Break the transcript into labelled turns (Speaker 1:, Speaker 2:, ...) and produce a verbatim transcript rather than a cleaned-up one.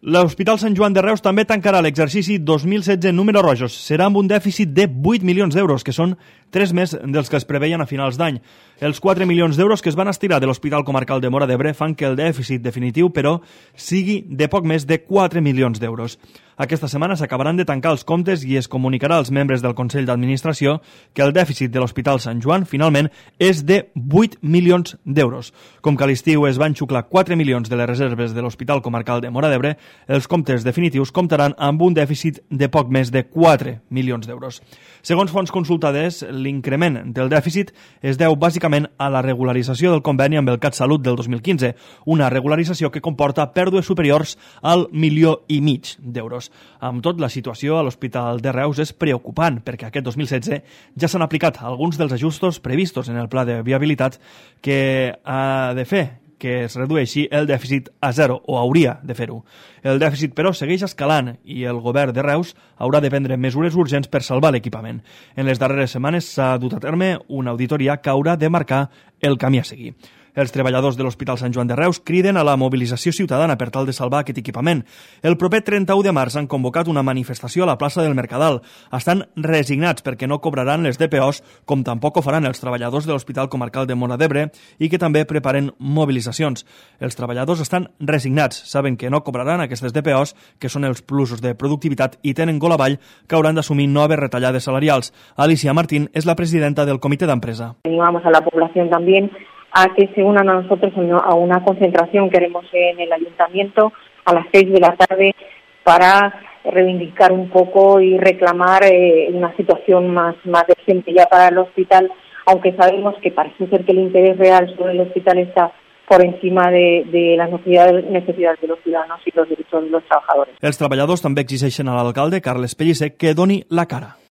Speaker 1: L'Hospital Sant Joan de Reus també tancarà l'exercici dos mil setze en números rojos. Serà amb un dèficit de vuit milions d'euros, que són tres més dels que es preveien a finals d'any. Els quatre milions d'euros que es van estirar de l'Hospital Comarcal de Móra d'Ebre fan que el dèficit definitiu, però, sigui de poc més de quatre milions d'euros. Aquesta setmana s'acabaran de tancar els comptes i es comunicarà als membres del Consell d'Administració que el dèficit de l'Hospital Sant Joan finalment és de vuit milions d'euros. Com que a l'estiu es van xuclar quatre milions de les reserves de l'Hospital Comarcal de Móra d'Ebre, els comptes definitius comptaran amb un dèficit de poc més de quatre milions d'euros. Segons fonts consultades, l'increment del dèficit es deu bàsicament a la regularització del conveni amb el CatSalut del dos mil quinze, una regularització que comporta pèrdues superiors al milió i mig d'euros. Amb tot, la situació a l'Hospital de Reus és preocupant, perquè aquest dos mil setze ja s'han aplicat alguns dels ajustos previstos en el pla de viabilitat que ha de fer que es redueixi el dèficit a zero, o hauria de fer-ho. El dèficit, però, segueix escalant i el govern de Reus haurà de prendre mesures urgents per salvar l'equipament. En les darreres setmanes s'ha dut a terme una auditoria que haurà de marcar el camí a seguir. Els treballadors de l'Hospital Sant Joan de Reus criden a la mobilització ciutadana per tal de salvar aquest equipament. El proper trenta-u de març han convocat una manifestació a la plaça del Mercadal. Estan resignats perquè no cobraran les D P Os, com tampoc ho faran els treballadors de l'Hospital Comarcal de Móra d'Ebre i que també preparen mobilitzacions. Els treballadors estan resignats, saben que no cobraran aquestes D P Os, que són els plusos de productivitat, i tenen gol avall que hauran d'assumir noves retallades salarials. Alicia Martín és la presidenta del comitè d'empresa.
Speaker 2: Animamos a la población también a que se unan a nosotros a una concentración que haremos en el ayuntamiento a las seis de la tarde para reivindicar un poco y reclamar eh, una situación más, más decente ya para el hospital, aunque sabemos que parece ser que el interés real sobre el hospital está por encima de, de las necesidades, necesidades de los ciudadanos y los derechos de los trabajadores.
Speaker 1: Els treballadors també exigeixen a l'alcalde, Carles Pellicer, que doni la cara.